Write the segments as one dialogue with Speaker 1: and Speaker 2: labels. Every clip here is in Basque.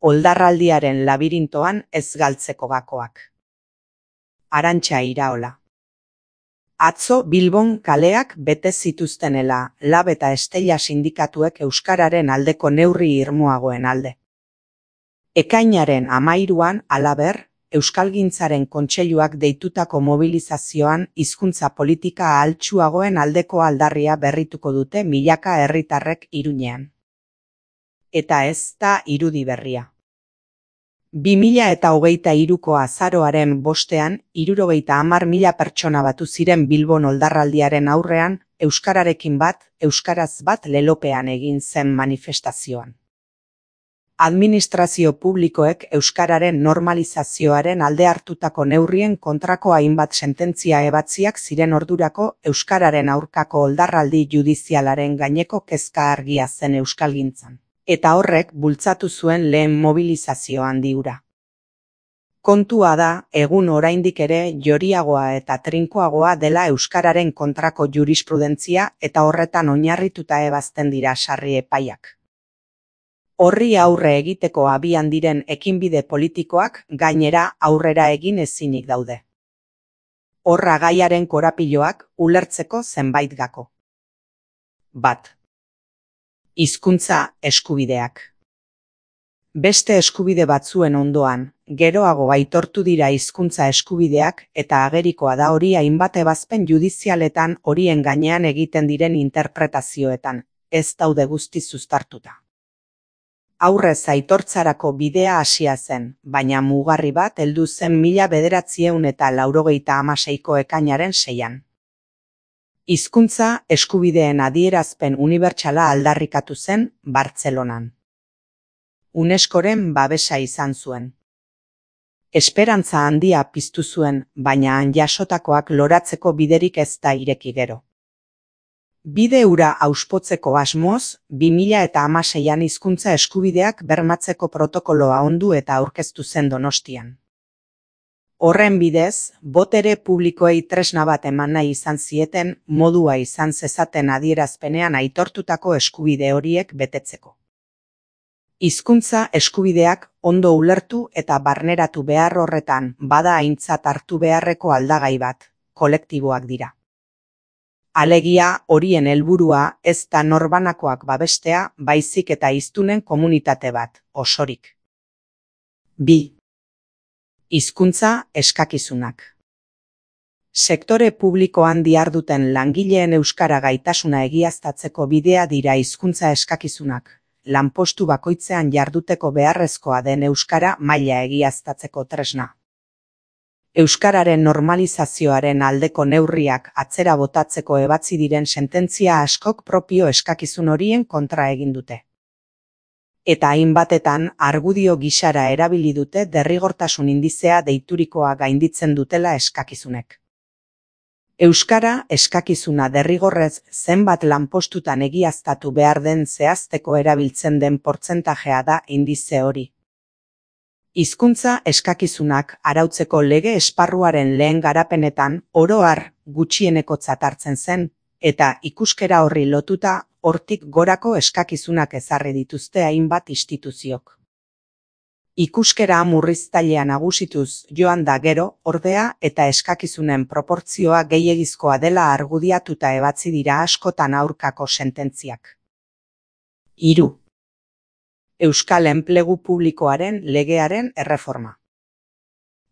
Speaker 1: oldarraldiaren labirintoan ez galtzeko gakoak. Arantxa Iraola. Atzo Bilbon kaleak bete zituztenela LAB eta Estella sindikatuek euskararen aldeko neurri irmoagoen alde. Ekainaren 13an, halaber, Euskalgintzaren Kontseiluak deitutako mobilizazioan hizkuntza politika ahaltsuagoen aldeko aldarria berrituko dute milaka herritarrek Iruñean. Eta ez da irudi berria. 2023ko azaroaren 5ean, 70.000 pertsona batu ziren Bilbon oldarraldiaren aurrean, euskararekin bat, euskaraz bat lelopean egin zen manifestazioan. Administrazio publikoek euskararen normalizazioaren alde hartutako neurrien kontrako hainbat sententzia ebatziak ziren ordurako euskararen aurkako oldarraldi judizialaren gaineko kezka argia zen euskalgintzan. Eta horrek bultzatu zuen lehen mobilizazio handi hura. Kontua da, egun oraindik ere joriagoa eta trinkoagoa dela euskararen kontrako jurisprudentzia eta horretan oinarrituta ebazten dira sarri epaiak. Horri aurre egiteko abian diren ekinbide politikoak gainera aurrera egin ezinik daude. Horra gaiaren korapiloak ulertzeko zenbait gako. 1. Hizkuntza eskubideak. Beste eskubide batzuen ondoan, geroago aitortu dira hizkuntza eskubideak eta agerikoa da hori hainbat ebazpen judizialetan horien gainean egiten diren interpretazioetan, ez daude guztiz uztartuta. Aurrez aitortzarako bidea hasia zen, baina mugarri bat heldu zen 1996ko ekainaren 6an. Hizkuntza eskubideen adierazpen unibertsala aldarrikatu zen Bartzelonan. UNESCOren babesa izan zuen. Esperantza handia piztu zuen, baina han jasotakoak loratzeko biderik ez da ireki gero. Bide hura auspotzeko asmoz, 2016an hizkuntza eskubideak bermatzeko protokoloa ondu eta aurkeztu zen Donostian. Horren bidez, botere publikoei tresna bat eman nahi izan zieten, modua izan zezaten adierazpenean aitortutako eskubide horiek betetzeko. Hizkuntza eskubideak ondo ulertu eta barneratu behar horretan bada aintzat hartu beharreko aldagai bat, kolektiboak dira. Alegia horien helburua ez da norbanakoak babestea, baizik eta hiztunen komunitate bat, osorik. 2. Hizkuntza eskakizunak. Sektore publikoan diharduten langileen euskara gaitasuna egiaztatzeko bidea dira hizkuntza eskakizunak, lanpostu bakoitzean jarduteko beharrezkoa den euskara maila egiaztatzeko tresna. Euskararen normalizazioaren aldeko neurriak atzera botatzeko ebatzi diren sententzia askok propio eskakizun horien kontra egin dute. Eta hainbatetan argudio gisara erabili dute derrigortasun indizea deiturikoa gainditzen dutela eskakizunek. Euskara eskakizuna derrigorrez zenbat lanpostutan egiaztatu behar den zehazteko erabiltzen den portzentajea da indize hori. Hizkuntza eskakizunak arautzeko lege esparruaren lehen garapenetan oro har gutxienekotzat hartzen zen, eta ikuskera horri lotuta hortik gorako eskakizunak ezarri dituzte hainbat instituziok. Ikuskera murriztailea nagusituz joan da gero, ordea eta eskakizunen proportzioa gehiegizkoa dela argudiatuta ebatzi dira askotan aurkako sententziak. 3. Euskal enplegu publikoaren legearen erreforma.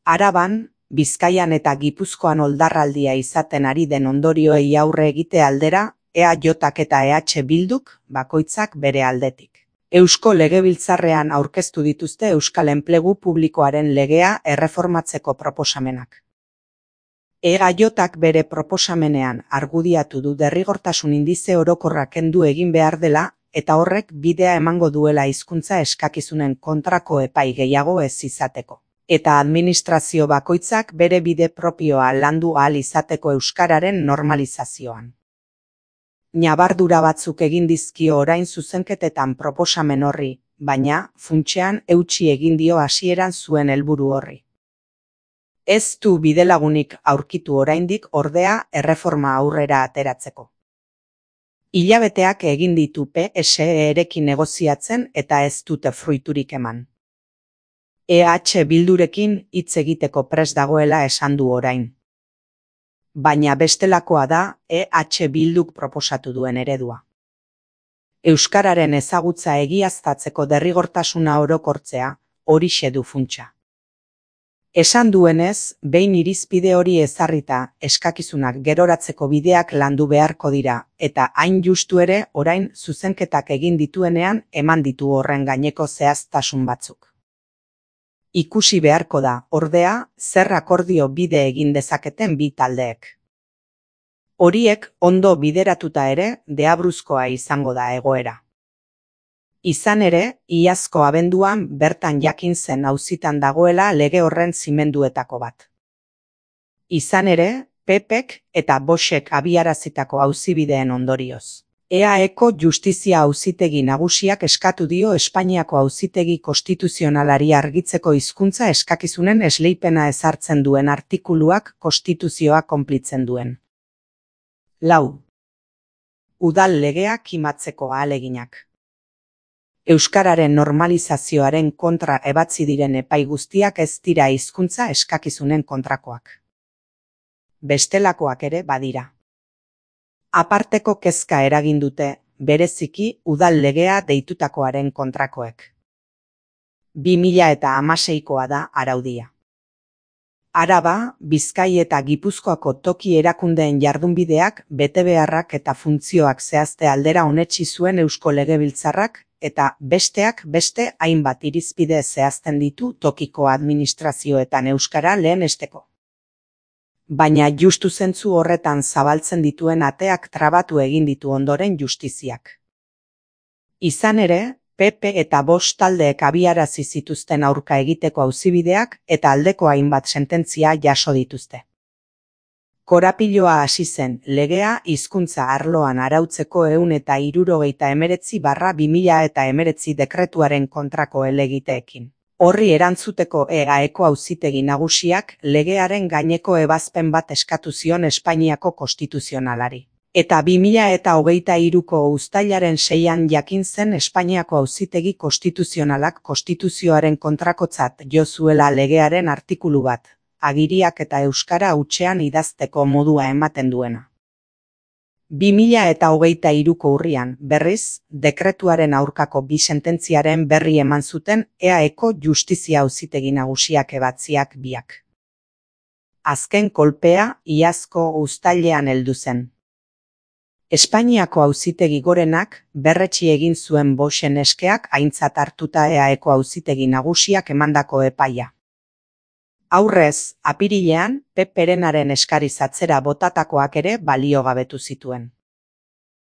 Speaker 1: Araban, Bizkaian eta Gipuzkoan oldarraldia izaten ari den ondorioei aurre egite aldera, EAJak eta EH Bilduk bakoitzak bere aldetik. Eusko Legebiltzarrean aurkeztu dituzte Euskal enplegu publikoaren legea erreformatzeko proposamenak. EAJak bere proposamenean argudiatu du derrigortasun indize orokorra kendu egin behar dela, eta horrek bidea emango duela hizkuntza eskakizunen kontrako epai gehiago ez izateko. Eta administrazio bakoitzak bere bide propioa landu ahal izateko euskararen normalizazioan. Ñabardura batzuk egin dizkio orain zuzenketetan proposamen horri, baina, funtsean eutsi egin dio hasieran zuen helburu horri. Ez du bidelagunik aurkitu oraindik ordea erreforma aurrera ateratzeko. Hilabeteak egin ditu PSE-erekin negoziatzen eta ez dute fruiturik eman. EH Bildurekin hitz egiteko prest dagoela esan du orain. Baina bestelakoa da EH Bilduk proposatu duen eredua. Euskararen ezagutza egiaztatzeko derrigortasuna orokortzea, horixe du funtsa. Esan duenez, behin irizpide hori ezarrita, eskakizunak geroratzeko bideak landu beharko dira, eta hain justu ere orain zuzenketak egin dituenean eman ditu horren gaineko zehaztasun batzuk. Ikusi beharko da, ordea, zer akordio bide egin dezaketen bi taldeek. Horiek ondo bideratuta ere, deabruzkoa izango da egoera. Izan ere, iazko abenduan bertan jakin zen auzitan dagoela lege horren zimenduetako bat. Izan ere, PPek eta Voxek abiarazitako auzibideen ondorioz. EAeko Justizia Auzitegi Nagusiak eskatu dio Espainiako Auzitegi Konstituzionalari argitzeko hizkuntza eskakizunen esleipena ezartzen duen artikuluak konstituzioa konplitzen duen. 4. Udal legea kimatzeko ahaleginak. Euskararen normalizazioaren kontra ebatzi diren epai guztiak ez dira hizkuntza eskakizunen kontrakoak. Bestelakoak ere badira. Aparteko kezka eragin dute, bereziki udal legea deitutakoaren kontrakoek. 2016koa da araudia. Araba, Bizkai eta Gipuzkoako toki erakundeen jardunbideak, betebeharrak eta funtzioak zehazte aldera onetsi zuen Eusko Legebiltzarrak, eta besteak beste hainbat irizpide zehazten ditu tokiko administrazioetan euskara lehenesteko. Baina justu zentzu horretan zabaltzen dituen ateak trabatu egin ditu ondoren justiziak. Izan ere, PP eta Vox taldeek abiarazi zituzten aurka egiteko auzibideak eta aldeko hainbat sententzia jaso dituzte. Korapiloa hasi zen legea hizkuntza arloan arautzeko 169/2019 dekretuaren kontrako helegiteekin. Horri erantzuteko EAeko Auzitegi Nagusiak legearen gaineko ebazpen bat eskatu zion Espainiako Konstituzionalari. Eta 2023ko uztailaren 6an jakin zen Espainiako Auzitegi Konstituzionalak konstituzioaren kontrakotzat jo zuela legearen artikulu bat. Agiriak eta euskara hutsean idazteko modua ematen duena. 2023ko urrian, berriz, dekretuaren aurkako bi sententziaren berri eman zuten EAeko Justizia Auzitegi Nagusiak ebatziak biak. Azken kolpea iazko uztailean heldu zen. Espainiako Auzitegi Gorenak berretsi egin zuen Voxen eskeak aintzat hartuta EAeko Auzitegi Nagusiak emandako epaia. Aurrez, apirilean, PPrenaren eskariz atzera botatakoak ere baliogabetu zituen.